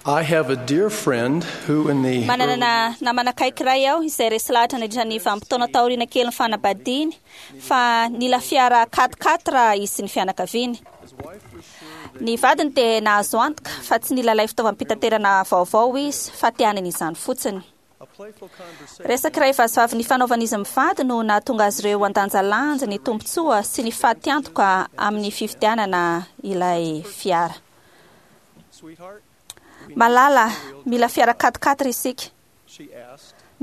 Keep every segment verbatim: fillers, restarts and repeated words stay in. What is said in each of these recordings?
I have a dear friend who in the Manana namana akaiky iray aho izay resy lahatra nandritra ny vanim-potoana taoriana kely ny fanambadiany fa nila fiara quatre-quatre izy sy ny fianakaviany. Ny vadiny dia nahazo antoka fa tsy nila ilay fitaovam-pitaterana vaovao izy fa te hanana izany fotsiny. Resaka iray vazivavy nifanaovan'izy mivady no nahatonga azy ireo handanjalanja ny tombontsoa sy ny fatiantoka amin'ny fividianana ilay fiara. Malala, mila fiara quatre-quatre isika.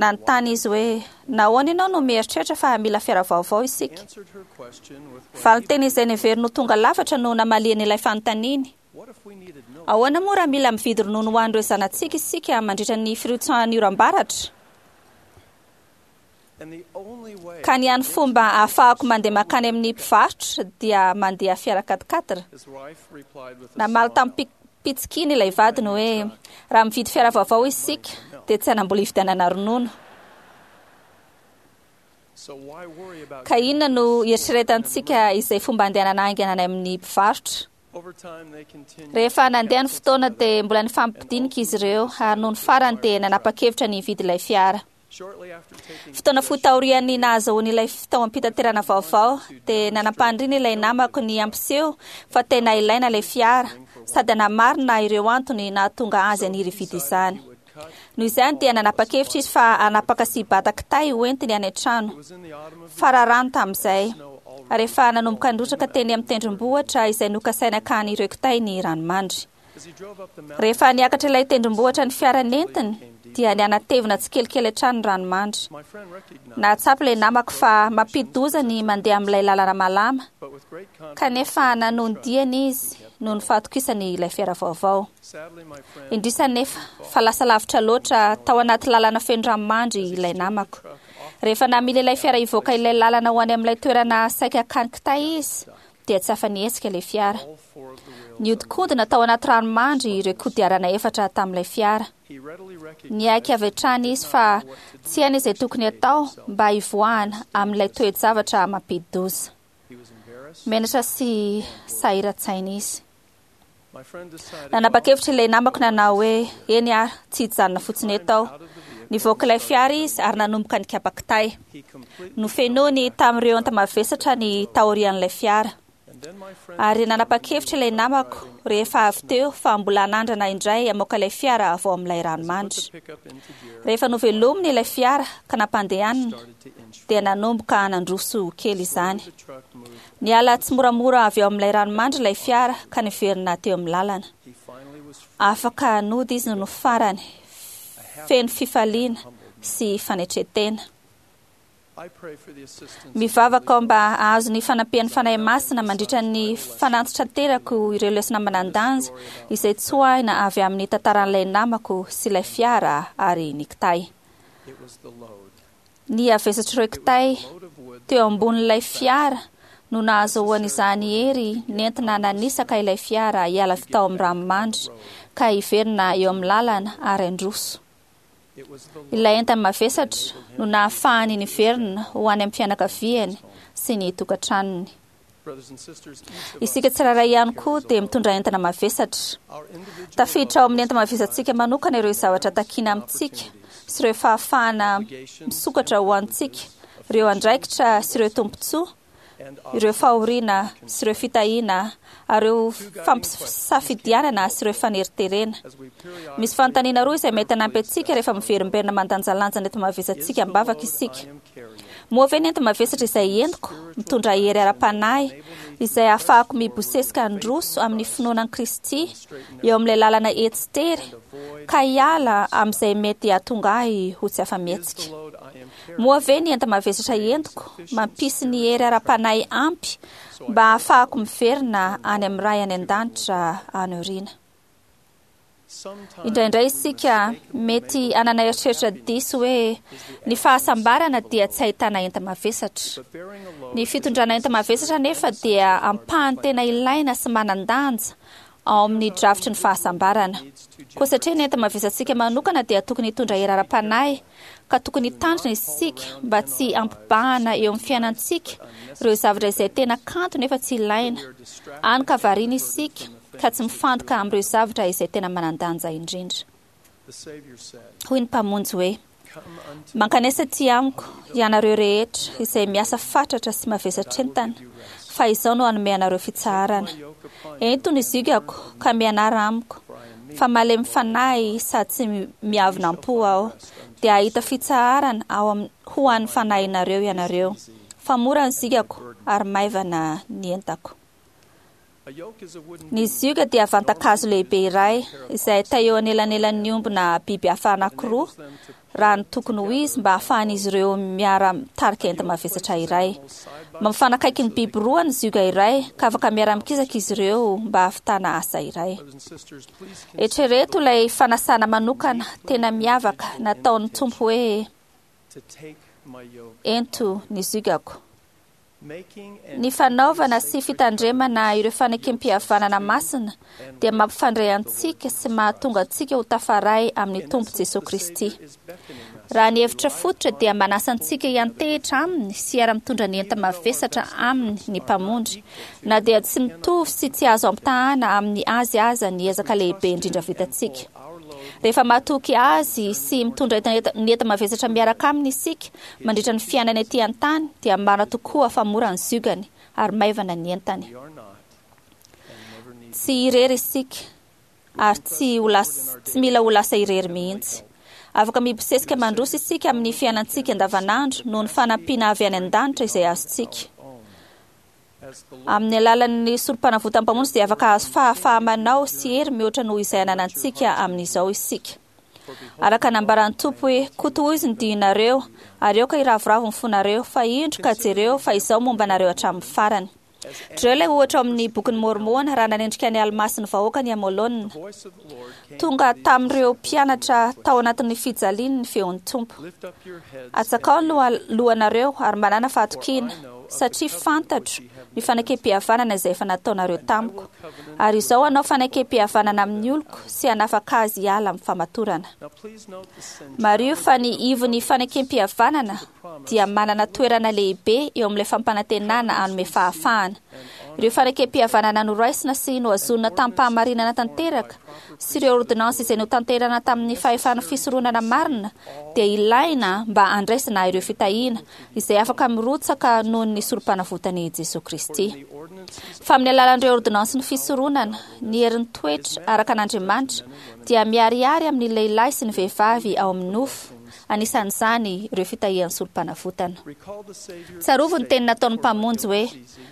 Nanontany izy hoe, nahoana ianao no mieritreritra fa mila fiara vaovao isika? Valinteny izay neveriny ho tonga lafatra no namaliany ilay fanontaniany. Ahoana moa raha mila mividy ronono ho an'ireo zanatsika isika mandritra ny firotsahan'ny oram-baratra? Ka ny hany fomba ahafahako mandeha mankany amin'ny mpivarotra dia mandeha fiara quatre-quatre. Namaly tamim-pitsikiana ilay vadiny hoe, raha mividy fiara vaovao isika dia tsy hanam-bola hividianana ronono. Ka inona no eritreretantsika izay fomba andehanana haingana any amin'ny mpivarotra? Rehefa nandeha ny fotoana dia mbola nifampidinika izy ireo ary noho ny farany dia nanapa-kevitra ny hividy ilay fiara. Fotoana fohy taorian'ny nahazahoany ilay fitaovam-pitaterana vaovao dia nanam-paniriana ilay namako ny hampiseho fa tena ilaina ilay fiara sady hanamarina ireo antony nahatonga azy haniry hividy izany. Noho izany dia nanapa-kevitra izy fa hanapaka sy hibata kitay hoentiny any an-trano. Fararano tamin'izay. Rehefa nanomboka nirotsaka teny amin'ny tendrombohitra izay nokasaina hakany ireo kitay ny ranomandry. Rehefa niakatra ilay tendrombohitra ny fiara nentiny dia nianatevina tsikelikely hatrany ny ranomandry. Nahatsapa ilay namako fa mampidi-doza ny mandeha amin'ilay lalana malama, kanefa nanohy ny diany izy noho ny fahatokisany ilay fiara vaovao. Indrisy anefa fa lasa lavitra loatra tao anaty lalana feno ranomandry ilay namako. Rehefa namily ilay fiara hivoaka ilay lalana ho any amin'ilay toerana saika hakany kitay izy dia tsy afa-nihetsika ilay fiara. Nihodinkodina tao anaty ranomandry ireo kodiarana efatra tamin'ilay fiara. Niaiky avy hatrany izy fa tsy hainy izay tokony hatao mba hivoahana amin'ilay toe-javatra mampidi-doza. Menatra sy sahiran-tsaina izy. Nanapa-kevitra ilay namako nanao hoe, eny ary, tsy hijanona fotsiny eto aho. Nivoaka ilay fiara izy ary nanomboka nikapa kitay. Nofenoiny tamin'ireo enta-mavesatra ny taorian'ilay fiara. Ary nanapa-kevitra ilay namako rehefa avy teo fa mbola hanandrana indray hamoaka ilay fiara avy ao amin'ilay ranomandry. Rehefa novelominy ilay fiara ka nampandehanina dia nanomboka nandroso kely izany. Niala tsimoramora avy ao amin'ilay ranomandry ilay fiara ka niverina teo amin'ny lalana. Afaka nody izy no farany, feno fifaliana sy fanetren-tena. Mivavaka aho mba hahazo ny fanampian'ny Fanahy Masina mandritra ny fanantitranterako ireo lesona manan-danja izay tsoahina avy amin'ny tantaran'ilay namako sy ilay fiara ary ny kitay. Ny havesatr'ireo kitay teo ambonin'ilay fiara no nahazoany izany hery nentina nanisaka ilay fiara hiala avy tao amin'ny ranomandry ka hiverina eo amin'ny lalana ary handroso. Ilay entana mavesatra no nahafahany niverina ho any amin'ny fianakaviany sy ny tokantranony. Isika tsirairay ihany koa dia mitondra entana mavesatra. Tafiditra ao amin'ny enta-mavesatsika manokana ireo zavatra takiana amintsika sy ireo fahafahana misokatra ho antsika, ireo andraikitra sy ireo tombontsoa, ireo fahoriana sy ireo fitahiana ary ireo fampisafidianana sy ireo faneriterena. Misy fanontaniana roa izay mety hanampy antsika rehefa miverimberina mandanjalanja ny enta-mavesatsika am-bavaka isika. Moa ve ny enta-mavesatra izay entiko mitondra hery ara-panahy izay ahafahako mibosesika handroso amin'ny finoana an'i Kristy eo amin'ilay lalana etsy tery ka hiala amin'izay mety hahatonga ahy ho tsy afa-mihetsika? Moa ve ny enta-mavesatra entiko mampisy ny hery ara-panahy ampy mba ahafahako miverina any amin'ny Ray any an-danitra any aoriana? Indraindray isika mety hanana eritreritra diso hoe ny fahasambarana dia tsy ahitana enta-mavesatra. Ny fitondrana enta-mavesatra nefa dia ampahany tena ilaina sy manan-danja ao amin'ny drafitry ny fahasambarana. Koa satria ny enta-mavesatsika manokana dia tokony hitondra hery ara-panahy ka tokony hitandrina isika mba tsy hampibahana eo amin'ny fiainantsika ireo zavatra izay tena kanto nefa tsy ilaina. Any ka variana isika ka tsy mifantoka amin'ireo zavatra izay tena manan-danja indrindra. Hoy ny Mpamonjy hoe: "Mankanesa aty amiko ianareo rehetra izay miasa fatratra sy mavesatra entana, fa izao no hanome anareo fitsaharana. Ento ny ziogako ka mianara amiko, fa malemy fanahy sady tsy miavona am-po aho, dia hahita fitsaharana ao am- ho an'ny fanahinareo ianareo, fa mora ny ziogako ary maivana ny entako." Ny zioga dia vantakazo lehibe iray izay teo anelanelan'ny omby na biby hafa anankiroa raha ny tokony ho izy, mba hahafahan'izy ireo miara-mitarika enta-mavesatra iray. Mampifanakaiky ny biby roa ny zioga iray, ka afaka miara-mikisaka izy ireo mba hahavitana asa iray. Eritrereto ilay fanasana manokana tena miavaka nataon'ny Tompo hoe: "Ento ny ziogako." Ny fanaovana sy fitandremana ireo fanekem-pihavanana masina dia mampifandray antsika sy mahatonga antsika ho tafaray amin'ny Tompo Jesosy Kristy. Raha ny hevitra fototra dia manasa antsika hiantehitra aminy sy hiara-mitondra ny enta-mavesatra aminy ny Mpamonjy, na dia tsy mitovy sy tsy azo ampitahana amin'ny azy aza ny ezaka lehibe indrindra vitantsika. Rehefa matoky azy sy mitondra ny enta-mavesatra miaraka aminy isika mandritra ny fiainana ety an-tany, dia marina tokoa fa mora ny ziogany ary maivana ny entany. Tsy irery isika ary tsy ho lasa, tsy mila ho lasa irery mihitsy. Afaka mibosesika mandroso isika amin'ny fiainantsika andavanandro noho ny fanampiana avy any an-danitra izay azontsika. Amin'ny alalan'ny sorom-panavotan'ny Mpamonjy dia afaka azo fahafaha-manao sy hery mihoatra noho izay ananantsika amin'izao isika. Araka nambaran'ny Tompo hoe: "Kotohoizy ny dianareo ary aoka hiravoravo ny fonareo, fa indro ka jereo fa izao momba anareo hatramin'ny farany." Jereo ilay ohatra ao amin'ny bokin'ny Môrmôna raha nanendrika ny Almà sy ny vahoaka ny Amôlôna. Tonga tamin'ireo mpianatra tao anatin'ny fijaliany ny feon'ny Tompo: "Atsakao ny lohanareo ary manana fahatokiana, satria fantatro ny fanekem-pihavanana izay efa nataonareo tamiko, ary izao hanao fanekem-pihavanana amin'ny oloko sy hanafaka azy hiala amin'ny famatorana." Mariho fa ny ivon'ny fanekem-pihavanana dia manana toerana lehibe eo amin'ilay fampanantenana hanome fahafahana. Ireo fanekem-pihavanana noraisina sy nohazonina tamin'ny-pahamarinana tanteraka sy ireo ordinansy izay notanterahina tamin'ny fahefana fisoronana marina dia ilaina mba handraisana ireo fitahiana izay afaka mirotsaka noho ny sorom-panavotan'i Jesosy Kristy. Fa amin'ny alalan'ireo ordinansy ny fisoronana, ny herin'ny toetra araka an'Andriamanitra dia miharihary amin'ny lehilahy sy ny vehivavy ao amin'ny nofo, anisan'izany ireo fitahian'ny sorom-panavotana. Tsarovy ny teny nataon'ny Mpamonjy hoe: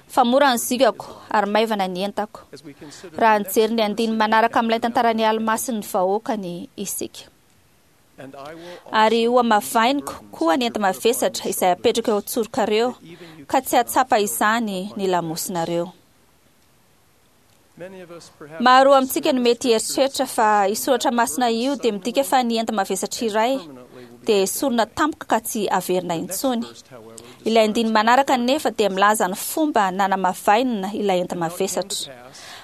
"Fa mora ny ziogako ary maivana ny entako." Raha nijery ny andininy manaraka amin'ilay tantaran'ny Almà sy ny vahoakany isika: "Ary hohamavainiko koa ny enta-mavesatra izay apetraka eo an-tsorokareo, ka tsy hahatsapa izany ny lamosinareo." Maro amintsika no mety hieritreritra fa io soratra masina io dia midika fa ny enta-mavesatra iray dia esorina tampoka ka tsy averina intsony. Ilay andininy manaraka nefa dia milaza ny fomba nanamavainina ilay enta-mavesatra.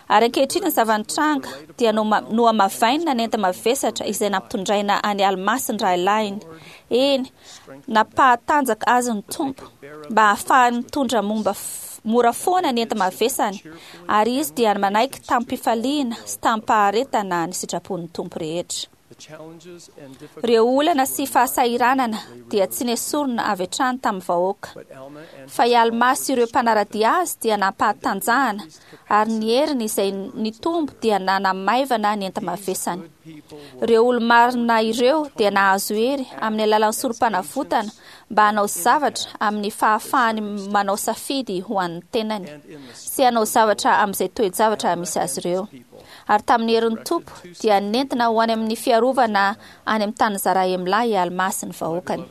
"Ary ankehitriny ny zava-nitranga dia nohamavainina ny enta-mavesatra izay nampitondraina any Almà sy ny rahalahiny. Eny, nampahatanjaka azy ny Tompo mba hahafahany mitondra momba mora foana ny enta-mavesany, ary izy dia manaiky tamin'ny-pifaliana sy tamin'ny-paharetana ny sitrapon'ny Tompo rehetra." Ireo olana sy fahasahiranana dia tsy nesorina avy hatrany tamin'ny vahoaka, fa i Almà sy ireo mpanara-dia azy dia nampahatanjahana, ary ny heriny izay nitombo dia nanamaivana ny enta-mavesany. Ireo olo-marina ireo dia nahazo hery amin'ny alalan'ny sorom-panavotana mba hanao zavatra amin'ny fahafahany manao safidy ho an'ny tenany sy hanao zavatra amin'izay toe-javatra misy azy ireo. Ary tamin'ny herin'ny Tompo dia nentina ho any amin'ny fiarovana any amin'ny tany Zarahemlà i Almà sy ny vahoakany.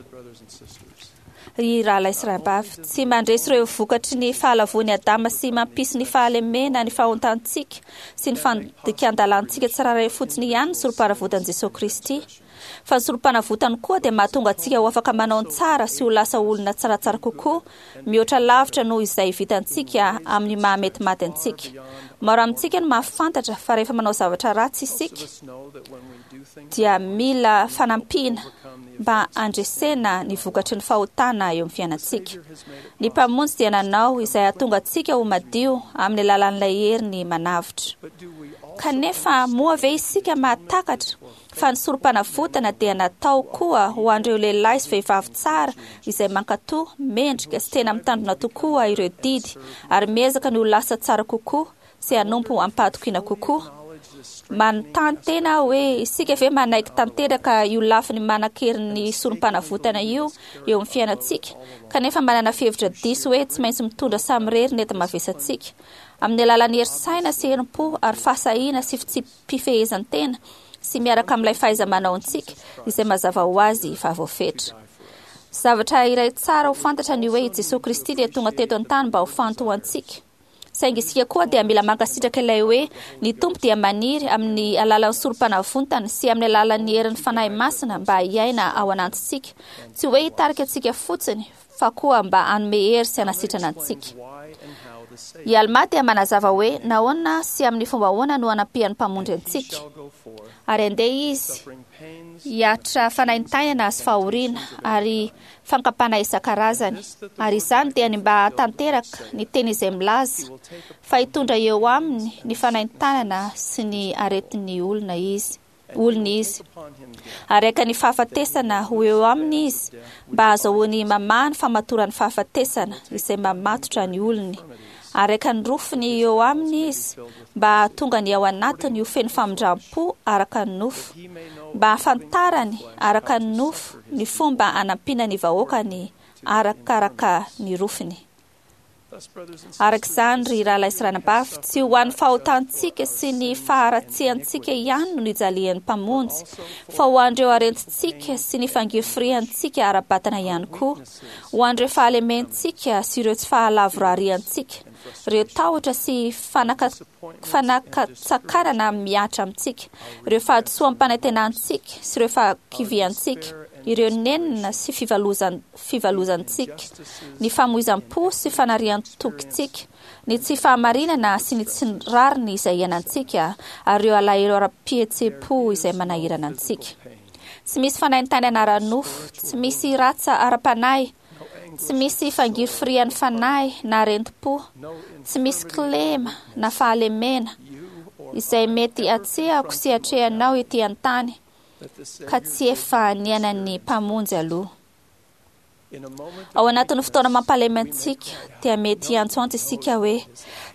Ry rahalahy sy rahavavy, tsy mandresy ireo vokatry ny fahalavoan'i Adama sy mampisy ny fahalemena ny fahotantsika sy ny fandikan-dalàntsika tsirairay fotsiny ihany ny sorom-panavotan'i Jesosy Kristy, fa ny sorom-panavotany koa dia mahatonga antsika ho afaka manao ny tsara sy ho lasa olona tsaratsara kokoa mihoatra lavitra noho izay vitantsika amin'ny mahamety maty antsika. Maro amintsika no mahafantatra fa rehefa manao zavatra ratsy isika dia mila fanampiana mba handresena ny vokatry ny fahotana eo amin'ny fiainantsika. Ny Mpamonjy dia nanao izay hahatonga antsika ho madio amin'ny alalan'ilay heriny manavotra. Kanefa moa ve isika mahatakatra fa ny sorom-panavotana dia natao koa ho an'ireo lehilahy sy vehivavy tsara izay mankatò, mendrika sy tena mitandrina tokoa ireo didy ary miezaka ny ho lasa tsara kokoa sy hanompo am-pahatokiana kokoa? Manontany tena aho hoe isika ve manaiky tanteraka io lafiny manan-kerin'ny sorom-panavotana io eo amin'ny fiainantsika, kanefa manana fihevitra diso hoe tsy maintsy mitondra samirery ny enta-mavesatsika amin'ny alalan'ny hery saina sy herim-po ary fahasahiana sy fitsipi-pifehezan-tena sy miaraka amin'ilay fahaiza-manao antsika izay mazava ho azy fa voafetra. Zavatra iray tsara ho fantatra ny hoe i Jesosy Kristy dia tonga teto an-tany mba ho faty ho antsika. Saingy isika koa dia mila mankasitraka ilay hoe ny Tompo dia maniry amin'ny alalan'ny sorom-panavotana sy amin'ny alalan'ny herin'ny Fanahy Masina mba hiaina ao anatintsika, tsy hoe hitarika antsika fotsiny fa koa mba hanome hery sy hanasitrana antsika. I Alma dia manazava hoe nahoana sy amin'ny fomba ahoana no anampian'ny Mpamonjy antsika. Ary andeha izy hiaritra fanaintainana sy fahoriana ary fakam-panahy isan-karazany. Ary izany dia ny mba hahatanteraka ny teny izay milaza fa hitondra eo aminy ny fanaintainana sy ny aretin'ny olona izy. Olona izy. Ary haka ny fahafatesana ho eo aminy izy mba hahazoany mamaha ny famatoran'ny fahafatesana izay mamatotra ny olony. Ary haka ny rofiny eo aminy izy mba hahatonga ny ao anatiny ho feno famindram-po araka ny nofo, mba hahafantarany araka ny nofo ny fomba anampiana ny vahoakany arakaraka ny rofiny. Araka izany, ry rahalahy sy ranabavy, tsy ho an'ny fahotantsika sy ny faharatsiantsika ihany no nijalian'ny Mpamonjy, fa ho an'ireo aretintsika sy ny fangirifiriantsika ara-batana ihany koa, ho an'ireo fahalementsika sy ireo tsy fahalavorariantsika, ireo tahotra sy fanaka fanakatsakarana mihatra amintsika, ireo fahadisoam-panantenantsika sy ireo fahakiviantsika, ireo nenina sy fivalozan fivalozantsika, ny famoizam-po sy fanarian-tokintsika, ny tsy fahamarinana sy ny tsy rariny izay iainantsika, ary ireo alahelo ara-pihetseham-po izay manahirana antsika. Tsy misy fanaintainana ara-nofo, tsy misy ratsa ara-panahy, tsy misy fangirifirian'ny fanahy na aretim-po, tsy misy kilema na fahalemena izay mety atrehako sy atrehanao ety an-tany ka tsy efa niainan'ny Mpamonjy aloha. Ao anatin'ny fotoana mampalemy antsika dia mety hiantsoantso isika hoe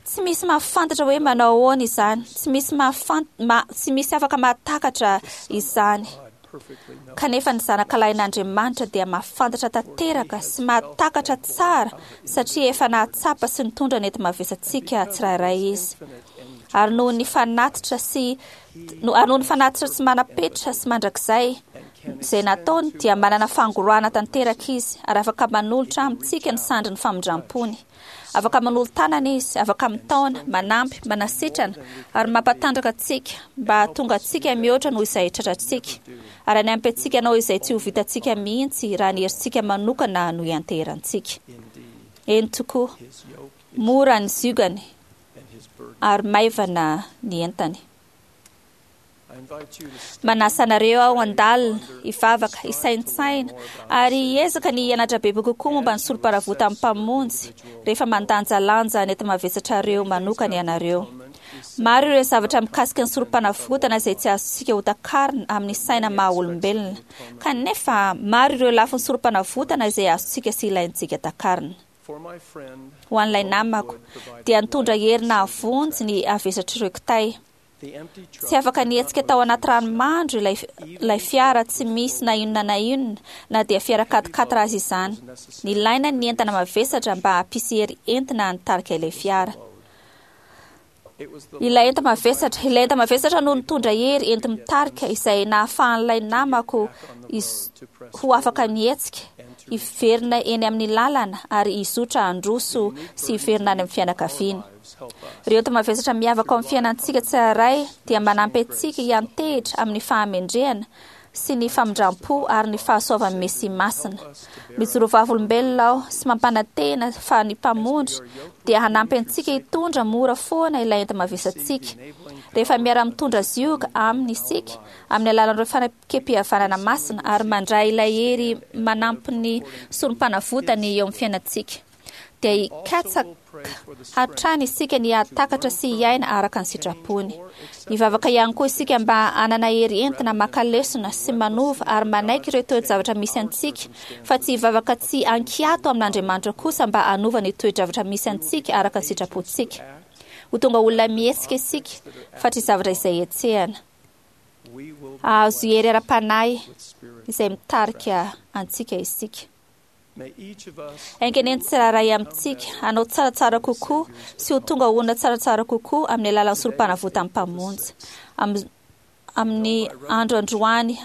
tsy misy mahafantatra hoe manao ahoana izany, tsy misy mahafant ma, tsy misy afaka mahatakatra izany. Kanefa ny zanakalahin'Andriamanitra dia mahafantatra tanteraka sy mahatakatra tsara satria efa nahatsapa sy nitondra ny enta-mavesatsika tsirairay izy. Ary noho ny fanatitra sy no ary noho ny fanatitra tsy manam-petra sy mandrakizay izay nataony dia manana fangorahana tanteraka izy ary afaka manolotra amintsika ny sandrin'ny famindram-pony. Afaka manolo-tanana izy, afaka mitaona, manampy, manasitrana ary mampatanjaka antsika mba hahatonga antsika mihoatra noho izay tratrantsika. Ary hanampy antsika hanao izay tsy ho vitantsika mihitsy raha ny herintsika manokana no ianteherantsika. Eny tokoa, mora ny ziogany ary maivana ny entany. Manasa anareo aho handalina, hivavaka, hisaintsaina ary hiezaka ny hianatra bebe kokoa momba ny sorom-panavotan'ny Mpamonjy rehefa mandanjalanja ny enta-mavesatrareo manokana ianareo. Maro ireo zavatra mikasika ny sorom-panavotana izay tsy azontsika hotakarina amin'ny saina maha olombelona, kanefa maro ireo lafin'ny sorom-panavotana izay azontsika sy ilaintsika takarina. Ho an'ilay namako dia nitondra hery nahavonjy ny havesatr'ireo kitay. Tsy afaka nihetsika tao anaty ranomandry ilay ilay fiara tsy misy na inona na inona, na dia fiara quatre-quatre aza izany. Nilaina ny entana mavesatra mba hampisy hery entina nitarika ilay fiara. Ilay enta-mavesatra, ilay enta-mavesatra no nitondra hery enti-mitarika izay nahafahan'ilay namako ho afaka nihetsika, hiverina eny amin'ny lalana ary hizotra handroso sy hiverina any amin'ny fianakaviany. Ireo enta-mavesatra miavaka ao amin'ny fiainantsika tsirairay dia manampy antsika hiantehitra amin'ny fahamendrehana sy ny famindram-po ary ny fahasoavan'ny Mesia Masina. Mijoro vavolombelona aho sy mampanantena fa ny Mpamonjy dia hanampy antsika hitondra mora foana ilay enta-mavesatsika. Rehefa miara-mitondra zioga aminy isika amin'ny alalan'ireo fanekem-pihavanana masina ary mandray ilay hery manampy ny sorom-panavotany eo amin'ny fiainantsika, Dia hikatsaka hatrany isika ny hahatakatra sy hiaina araka ny sitrapony. Hivavaka ihany koa isika mba hanana hery entina maka lesona sy manova ary manaiky ireo toe-javatra misy antsika, fa tsy hivavaka tsy ankiato amin'Andriamanitra kosa mba hanova ny toe-javatra misy antsika araka ny sitrapontsika. Ho tonga olona mihetsika isika fa tsy zavatra izay hetsehana. Hahazo hery ara-panahy izay mitarika antsika isika. Enga anie ny tsirairay amintsika hanao tsaratsara kokoa sy ho tonga olona tsaratsara kokoa amin'ny alalan'ny sorom-panavotan'ny Mpamonjy. Amin'ny andro androany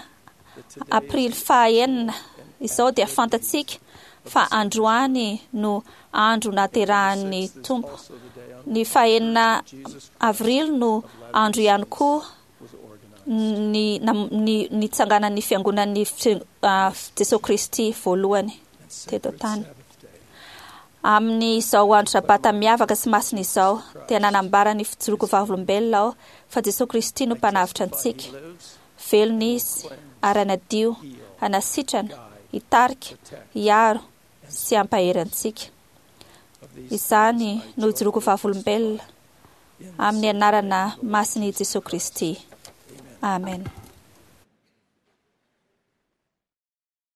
aprily fahaenina izao dia fantatsika fa androany no andro naterahan'ny Tompo. Ny fahaenina avrily no andro ihany koa ny ny nitsanganan'ny fiangonan'ny Jesosy Kristy voalohany teto an-tany. Amin'izao andro sabata miavaka sy masina izao dia nanambara ny fijoroako vavolombelona aho fa Jesosy Kristy no mpanavotra antsika. Velona izy ary hanadio, hanasitrana, hitarika, hiaro sy hampahery antsika. Izany no ijoroako vavolombelona amin'ny anarana masin'i Jesosy Kristy. Amen.